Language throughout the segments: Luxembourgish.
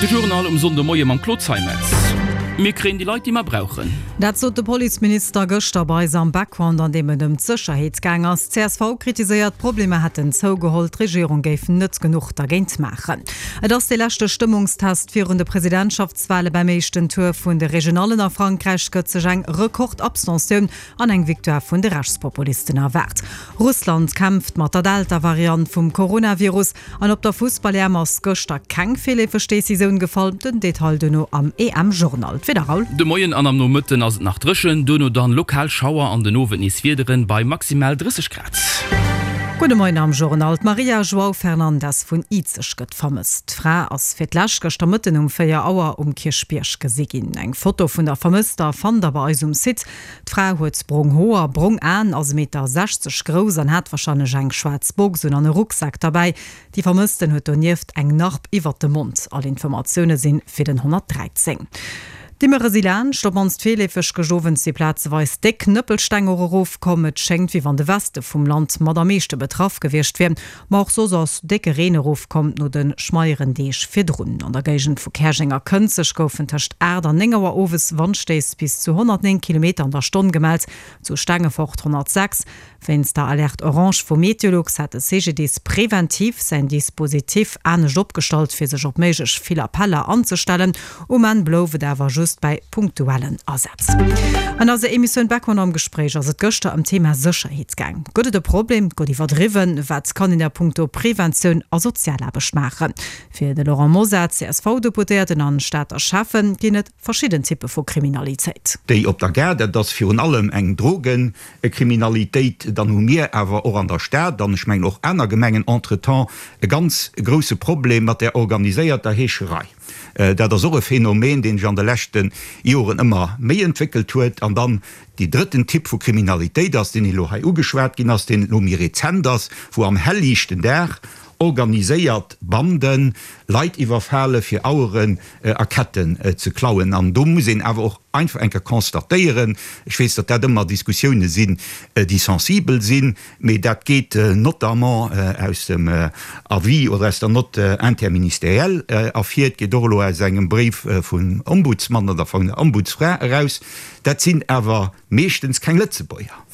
De Journal um Sonndemoie mam Claude Zeimetz. Mir kréien déi Leit, déi mer brauchen. Dat sot de Policeminister gëschter bei eis am Background, an deem et ëm d'Sécherheet gaang ass. Csv kritiséiert, d'Problemer hätten zougeholl, d'Regierung géif net genuch dergéint maachen. Et ass dee leschte Stëmmungstest virun de Presidentschaftswale. Beim éischten Tour vun de Regionallen a Frankräich gëtt sech eng Rekord-Abstentioun an eng Victoire vun de Rechtspopulisten erwaart. Russland kämpft mat der Delta-Variant vum Coronavirus an op der Fussball-EM ass gëschter keng virleefeg Decisioun gefall. Den Detail duerno am EM-Journal. D'Wieder, Raoul? De Moien an am Nomëtten ass et nach dréchen, duerno dann lokal Schauer an den Owend nees Wiederen bei maximal 30 Grad. Gudde Moien am Journal. D'Maria João Fernandes vun Izeg gëtt vermësst. D'Fra ass fir d'lescht gëschter Mëtten um 4 Auer um Kierchbierg gesi ginn. Eng Foto vun der Vermësster fannt der bei eis um Site. D'Fra huet brong Hoer, brong Aen, ass e Meter 60 grouss an hat warscheinlech eng schwaarz Box un an e Rucksak derbäi. Déi Vermëssten huet donieft eng Narb iwwert dem Mond. All Informatioune sinn fir den 113. D'Immere si laanscht, op mannst virleefeg. Gëscht Owend si plazeweis déck Nëppelsteng och erofkomm. Et schéngt, wéi wann de Weste vum Land mat am meeschte betraff gewiescht wier. Ma och soss ass décke Reen erofkomm no de schmeieren Deeg virdrun. An der Géigend vu Käerjeng a Kënzeg goufen tëscht 8 an 9 Auer owes Wandstéiss bis zu 109 Kilometer an der Stonn gemellt, zu Stengefort 106. Wéinst der Alerte orange vu Meteolux hat de CGDIS preventiv säin Dispositif anescht opgestallt, fir sech op méiglech vill Appeller anzestellen. Um Enn blouf et awer just bäi punktuellen Asätz. An eiser Emissioun Beckmann am Gespréich ass et gëschter ëm d'Thema Sécherheet gaang. Gëtt et e Problem? Gëtt iwwerdriwwen? Wat kann een a punkto Preventioun a Sozialaarbecht maachen? Fir de Laurent Mosar, CSV-Deputéierten an Stater Schäffen, ginn et verschidden Typpe vu Kriminalitéit. Déi op der Gare, dat ass virun allem eng Drogekriminalitéit. Dann hu mir awer och an der Stad, an ech mengen och aner Gemengen entretemps, e ganz grousse Problem mat där organiséierter Heescherei. Dat ass och e Phänomen, deen sech an de leschte Joren ëmmer méi entwéckelt huet. An dann dee drëtten Typ vu Kriminalitéit ass, deen elo hei ugeschwat ginn ass, deen elo méi rezent ass, wou am hellliichten Dag organiséiert Banden Leit iwwerfale fir Aueren a Ketten ze klauen. An do muss een awer och einfach eng Kéier constatéieren, ech weess, datt dat ëmmer Diskussioune sinn, déi sensibel sinn, Mee dat geet notamment aus dem Avis oder aus der Note interministérielle ervir. Et geet och elo aus engem Bréif vum Ombudsmann oder vun der Ombudsfra eraus. Dat sinn awer meeschtens keng Lëtzebuerger.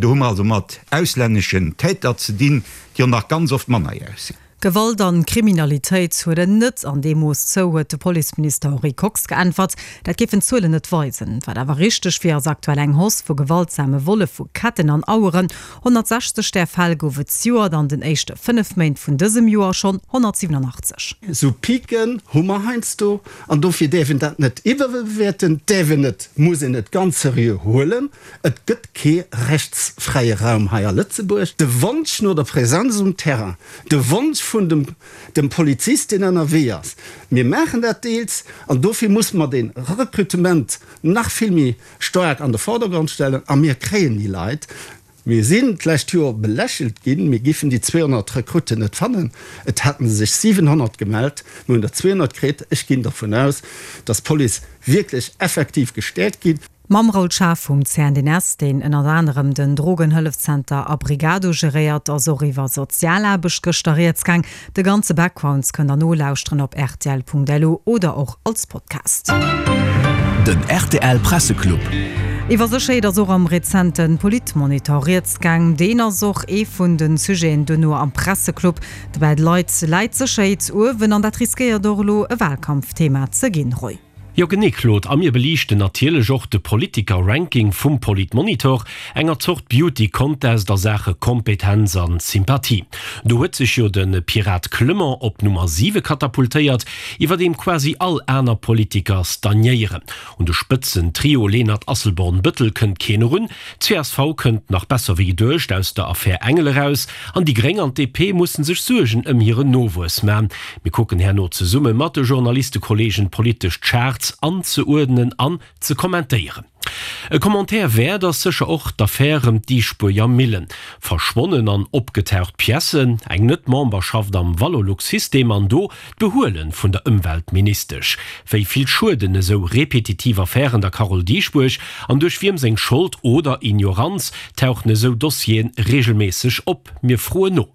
Do hu mer also mat auslänneschen Täter ze dinn, déi och nach ganz oft mannerjäreg sinn. Gewalt an Kriminalitéit huelen net an deem Mooss zou, huet de Policeminister Henri Kox geäntwert. Dat géifen d'Zuelen net weisen. Wat awer richteg wier, ass aktuell eng Hausse vu gewaltsame Volle vu Ketten an Aueren. 160 där Fäll gouf et zejoert, an den éischte 5 Méint vun dësem Joer schonn 187. Esou Piken hu mer heiansdo, an dofir däerf een dat net iwwerbewäerten, däerf een net, muss een et ganz seriö huelen. Et gëtt kee rechtsfräie Raum hei a Lëtzebuerg. De Wonsch no der Präsenz um Terrain, de Wonsch vun dem dem Polizist, deen ënnerwee ass, mir maachen dat deels, an dofir musse mer de Rekrutement nach vill méi staark an de Vordergrond stellen, a mir kréien déi Leit. Mir sinn d'lescht Joer belächelt ginn, mir giffen déi 200 Rekrutten net fannen. Et haten sech 700 gemellt, mir hunn der 200 kritt. Ech ginn dervun aus, dass d'Police wierklech effektiv gestäerkt ginn. Mam Raoul Schaaf vum CNDS, deen ënnert anerem den Drogenhëllefzenter Abrigado geréiert, ass och iwwer Sozialaarbecht gëschter rieds gaang. De ganze Backgrounds kënnt der nolauschteren op rtl.lu oder och als Podcast. Den rtl Presseclub. Iwwer Sécherheet ass och am rezente Politmonitor rieds gaang. Deen ass och ee vun de Sujeten duerno am Presseclub. Dobäi läit d'Sécherheet uewen an dat riskéiert och elo e Wahlkampfthema ze ginn. Roy. Jo genee Claude, a mir beliichten natierlech och de Politiker-Ranking vum Politmonitor, enger Zort Beauty Contest a Saache Kompetenz an Sympathie. Do huet sech jo de Pirat Clement op Nummer 7 katapultéiert, iwwerdeem quasi all aner Politiker stagnéieren. Un de Spëtzen-Trio Lenert-Asselborn-Bëttel kënnt keen erun, Csv kënnt nach besser wéi geduecht aus der Affär Engel eraus an déi Gréng an d'DP mussen sech Suergen ëm hiren Nowuess man. Mir kucken herno zesumme mat de Journalistekollegen d'politesch Charts anzeuerdnen an ze kommentéieren. E Commentaire wäert ass sécher och d'Affär ëm d'Diispuerger Millen. Verschwonnen an opgetaucht Piècen, eng Net-Memberschaft am Valorlux-System an do D'Behuelen vun der Ëmweltministesch, wéi vill schueden esou repetitiv Affären der Carole Dieschbourg an duerch wiem seng Schold oder Ignoranz tauchen esou Dossieren regelméisseg op? Mir froen no.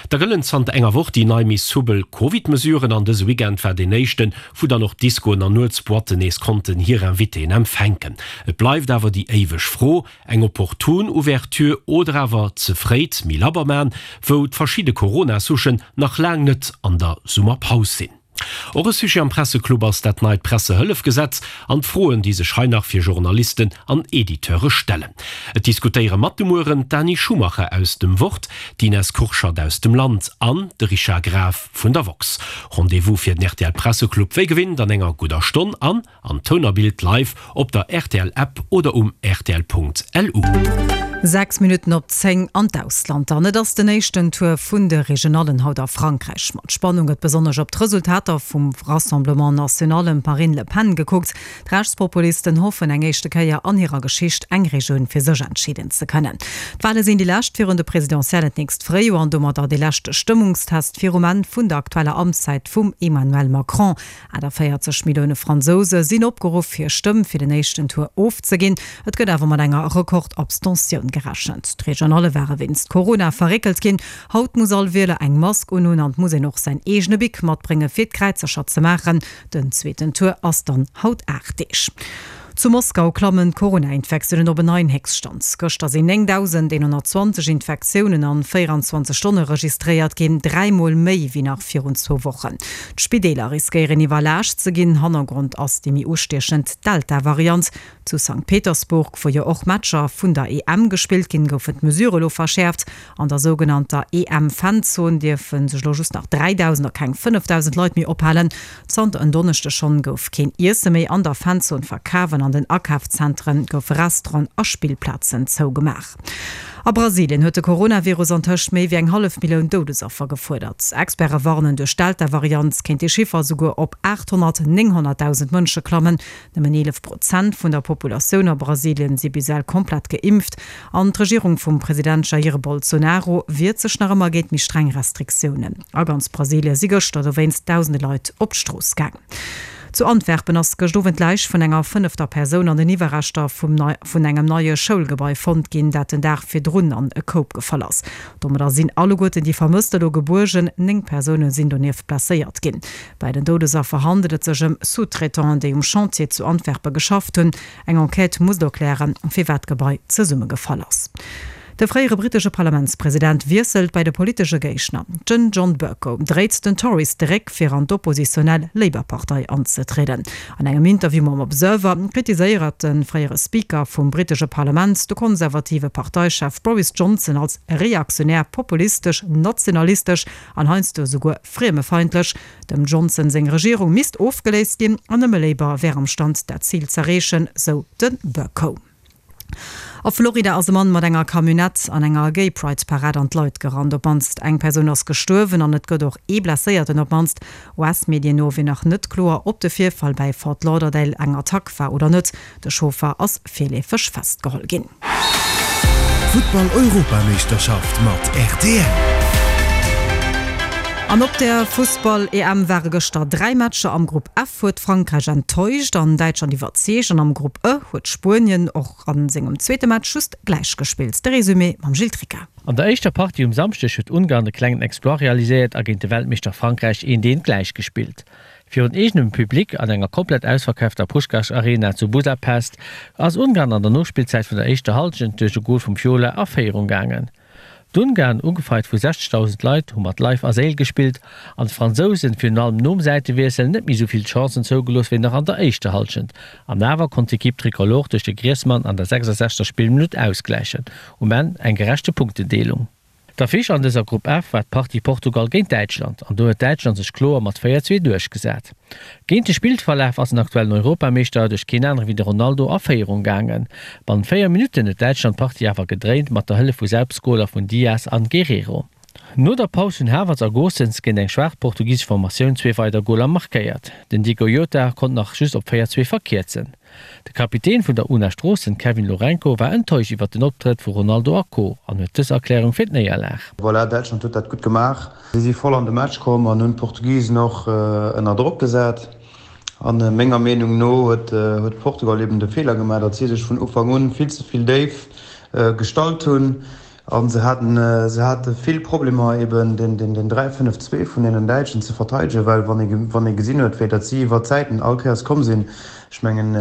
Da gëllen zanter enger Woch déi nei méi soubel Covid-Mesuren an dëse Weekend war deen éischten, wou dann och d'Discoen an Nuetsboîtten nees konnten hir Invitéen empfänken. Et bleift awer déi éiweg Fro, Eng opportun Ouverture oder awer ze fréit méi labber man, wou d'verschidde Corona-Souchen nach laang net an der Summerpaus sinn? Och e Sujet am Presseclub ass dat neit Pressehëllefgesetz an d'Froen, déi sech hei nach fir Journalisten an Editeure stellen. Et diskutéiere mat de Mueren d'Dani Schumacher aus dem Wort, d'Ines Kurschat aus dem Land an de Richard Graf vun der woxx. Rendez-vous fir den rtl Presseclub wéi gewinnt an enger gudder Stonn an An Toun a Bild live op der rtl App oder um rtl.lu. 6 Minutten op 10 an d'Ausland dann. Et ass den éischten Tour vun de Regionallen haut a Frankräich. Mat Spannung gëtt besonnesch op d'Resultater vum Rassemblement National ëm d'Marine Le Pen gekuckt. D'Rechtspopulisten hoffen eng éischte Kéier an hirer Geschicht eng Regioun fir sech entscheeden ze kënnen. D'Wale sinn déi lescht virun de Presidentiellen d'nächst Fréijoer an domadder dee leschte Stëmmungstest virum Enn vun der aktueller Amtszäit vum Emmanuel Macron. 48 Millioune Fransouse sinn opgeruff, hir Stëmm fir den éischten Tour ofzeginn. Et gëtt awer mat enger Rekord-Abstentioun gerechent. D'Regionalle ware wéinst Corona verréckelt ginn. Haut muss all Wieler eng Mask unhunn an et muss een och säin eegene Bic matbrénge fir d'Kräizercher ze maachen. Den zweeten Tour ass dann haut 8 Deeg. Zu Moskau klammen d'Corona-Infektiounen op en neien Héchststand. Gëschter sinn 9.120 Infektiounen an 24 Stonne registréiert ginn, dräimol méi wéi nach virun zwou Wochen. D'Spideeler riskéieren iwwerlaascht ze ginn. Hannergrond ass déi méi ustiechend Delta-Variant. Zu Sankt Petersburg, wou jo och Matcher vun der EM gespillt ginn, goufen d'Mesurë lo verschäerft. An der sougenannter EM-Fanzon dierfe sech elo just nach 3.000 a keng 5.000 Leit méi ophalen. Zanter en Donneschdeg schonn gouf keen Iesse méi an der Fanzon verkaf an an den Akafzentere goufe Restauranten a Spillplazen zougemaach. A Brasilien huet de Coronavirus antëscht méi wéi eng hallef Millioun Doudesaffer gefuerdert. Experte warnen, duerch d'Delta-Variant kéint dee Chiffer esouguer op 800, 900.000 Mënsche klammen. Nëmmen 11 Prozent vun der Populatioun a Brasilien si bis ewell komplett geimpft an d'Regierung vum President Jair Bolsonaro wiert sech nach ëmmer géint méi streng Restriktiounen. A ganz Brasilie si gëschter dowéinst dausende Leit op d'Strooss gaang. Zu Antwerpen ass gëscht Owend d'Läich vun enger fënnefter Persoun an den Iwwerreschter vun engem neie Schoulgebai fonnt ginn, dat den Dag virdrun an e Koup gefall ass. Domadder sinn alleguerten déi Vermësst elo gebuergen. 9 Persoune sinn donieft blesséiert ginn. Bei den Doudesaffer handelt et sech ëm Sous-traitanten, déi um Chantier zu Antwerpe geschafft hunn. Eng Enquête muss elo klären, firwat d'Gebai zesummegefall ass. De fréiere brittesche Parlamentspresident wiesselt bei de politesche Géigner. Den John Bercow dréit den Tories de Réck, fir an d'oppositionell Labour-Partei anzetrieden. An engem Interview mam Observer kritiséiert de fréiere Speaker vum brittesche Parlament de konservative Parteichef Boris Johnson als reaktionär, populistesch, nationalistesch an heiansdo esouguer friemefeindlech. Dem Johnson seng Regierung misst ofgeléist ginn an nëmme Labour wär am Stand dat Zil z'erreechen, sou de Bercow. A Florida ass e Mann mat enger Camionnette an enger Gay Pride Parad an d'Leit gerannt. Op d'mannst eng Persoun ass gestuerwen an et gëtt och ee Blesséierten. Op d'mannst US-Medien no wier nach net kloer, ob de Virfall bäi Fort Lauderdale eng Attack war oder net. De Chauffer ass virleefeg festgeholl ginn. Futtball-Europameeschterschaft mat rtl. An op der Fussball-EM ware gëschter 3 Matcher. Am Grupp F huet Frankräich enttäuscht an Däitschland iwwerzeegt an am Grupp E huet Spuenien och a sengem zweete Match just gläich gespillt. De Resumé mam Gilles Tricca. An der éischter Partie um Samschdeg huet Ungarn e klengen Exploit realiséiert a géint de Weltmeeschter Frankräich eent eent gläich gespillt. Virun eegenem Public an enger komplett ausverkaafter Puskás Arena zu Budapest ass Ungarn an der Nospillzäit vun der éischter Hallschent duerch e Gol vum Fiola a Féierung gaangen. D'Ungarn, ugefeiert vu 60.000 Leit, hu mat Leif a Séil gespillt an d'Fransousen, virun allem nom Säitewiessel, net méi esou vill Chancen zougelooss wéi nach an der éischter Hallschent. An awer konnt d'Equipe Tricolore duerch de Griezmann an der 66. Spillminutt ausgläichen. Um Enn eng gerechte Punktendeelung. D'Affiche an dëser Grupp F war d'Partie Portugal géint Däitschland an do huet Däitschland sech kloer mat 4, 2 duerchgesat. Géint de Spillverlaf ass den aktuellen Europameeschter duerch keen anere wéi de Ronaldo a Féierung gaangen. Bannent 4 Minutten huet Däitschland d'Partie awer gedréint mat der Hëllef vu Selbstgoler vun Diaz an Guerrero. No der Paus hunn Havertz a Gosens géint eng schwaach portugisesch Formatioun zwee weider Goler markéiert. Den Diogo Jota konnt nach just op 4, 2 verkierzen. De Kapitän vun der una Stroossen, Kevin Lourenco, war enttäuscht iwwer den Optrëtt vu Ronaldo a Co. An huet dës Erklärung fir d'Néierlag. Voilà, Däitschland huet dat gutt gemaach. Si si voll an de Match komm an hunn d'Portugisen och ënner Drock gesat. A menger Meenung no huet Portugal eben de Feeler gemaach, datt si sech vun Ufank un vill ze vill déif gestallt hunn. A se haten, se hate vill Problemer eben den, den, den 3, 5, 2 vun deenen Däitschen ze verteidegen, well wann ee, wann ee gesinn huet, wéi datt si iwwer d'Säiten all Kéiers komm sinn, ech mengen,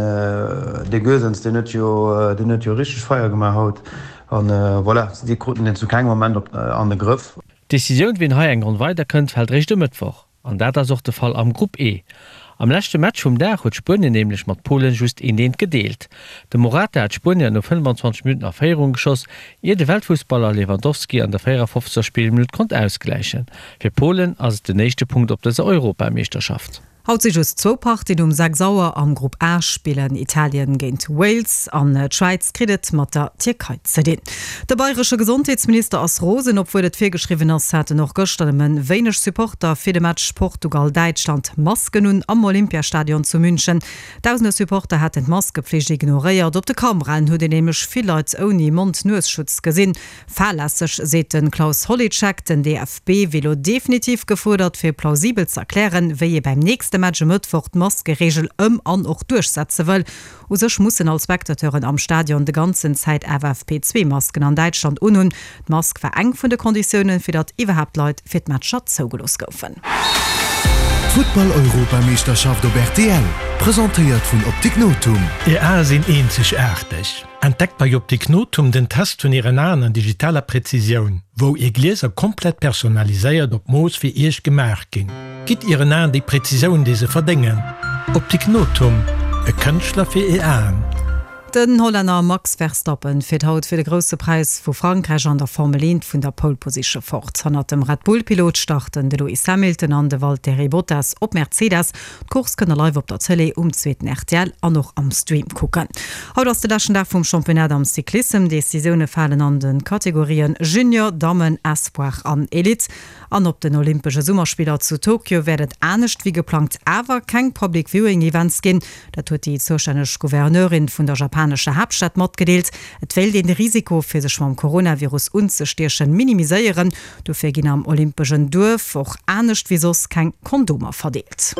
dee Goesens, deen huet jo, deen huet jo richteg Feier gemaach haut. An voilà, si kruten deen zu kengem Moment op, an de Grëff. D'Decisioun, wien hei eng Ronn weider kënnt, fält réischt e Mëttwoch. An dat ass och de Fall am Grupp E. Am leschte Match vum Dag huet Spuenien nämlech mat Polen just een Eent gedeelt. De Morata hat d'Spuenier no 25 Minutten a Féierung geschoss, ier de Weltfussballer Lewandowski an der 54. Spillminutt konnt ausgläichen. Fir Polen ass et den éischte Punkt op dëser Europameeschterschaft. Haut si just zwou Partien um 6 Auer. Am Grupp A spillen Italien géint Wales an d'Schwäiz kritt et mat der Tierkei ze dinn. De bayresche Gesondheetsminister ass rosen. Obwuel et virgeschriwwen ass, haten och gëschter nëmme wéineg Supporter fir de Match Portugal-Däitschland Masken un am Olympiastadion zu München. Dausende Supporter haten d'Maskepflicht ignoréiert. Op de Kameraen huet een nämlech vill Leit ouni Mond-Nues-Schutz gesinn. Fahrlässeg, seet de Klaus Holicek. Den DFB wier lo definitiv gefuerdert, fir plausibel ze erklären, wéi ee beim nächste Match e Mëttwoch d'Maskereegel ëm an och duerchsetze wëll. U sech mussen all Spectateuren am Stadion de ganzen Zäit FFP2-Masken an Däitschland unhunn. D'Mask war eng vun de Konditiounen, fir datt iwwerhaapt Leit fir d'Matcher zougelooss goufen. D'Futtball-Europameeschterschaft op rtl, presentéiert vun Optik Nothum. Är Ae sinn eenzegaarteg. Entdeckt bei Optik Nothum den Test vun Ären Aen an digitaler Präzisioun, wou Är Glieser komplett personaliséiert op Mooss fir Iech gemaach ginn. Gitt Ieren Aen déi Präzisioun, déi se verdéngen. Optik Nothum, e Kënschtler fir Är Aen. Den Hollänner Max Verstappen fiert haut fir de Grousse Präis vu Frankräich an der Formel 1 vun der Pole Position fort. Hannert dem Red Bull-Pilot starten de Lewis Hamilton an de Valtteri Bottas op Mercedes. D'Course kënnt der live op der Tëlee, um zweeten rtl an och am Stream kucken. Haut ass de leschten Dag vum Championnat am Cyclissem. Decisioune falen an de Kategorien Junior, Dammen, Espoir an Elite. An op den Olympesche Summerspiller zu Tokio wäert et anescht wéi geplangt awer keng Public Viewing Events ginn. Dat huet déi zoustänneg Gouverneurin vun der japanescher Haaptstad matgedeelt. Et wéilt een de Risiko fir sech mam Coronavirus unzestiechen minimiséieren. Dofir ginn am Olympeschen Duerf och anescht wéi soss keng Kondomer verdeelt.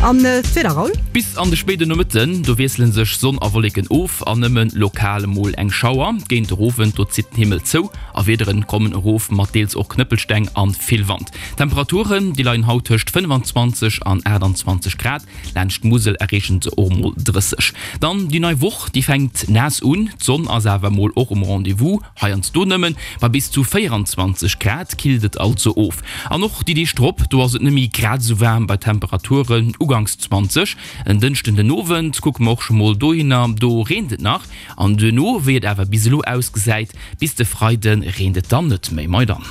An d'Wieder, Raoul? Bis an de spéiden Nomëtten, do wiessele sech Sonn a Wolleken of an nëmme lokal mol eng Schauer. Géint de Owend, do zitt den Himmel zou a Wiederen kommen erof mat deels och Knëppelsteng an vill Wand. D'Temperaturen, déi leien haut tëscht 25 an 28 Grad. Laanscht d'Musel erreechen se och mol 30. Dann déi nei Woch, déi fänkt naass un, d'Sonn ass awer mol och um Rendez-vous. Heiansdo nëmmen bei bis zu 24 Grad killt et also of. An och déi Deeg drop, do ass et net méi grad esou waarm bei Temperaturen uganks 20. En Dënschden den Owend kucke mer och scho mol dohinner, do reent et nach an duerno, wéi et awer bis elo ausgesäit, bis de Freide reent et dann net méi. Mei dann.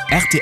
Rtl.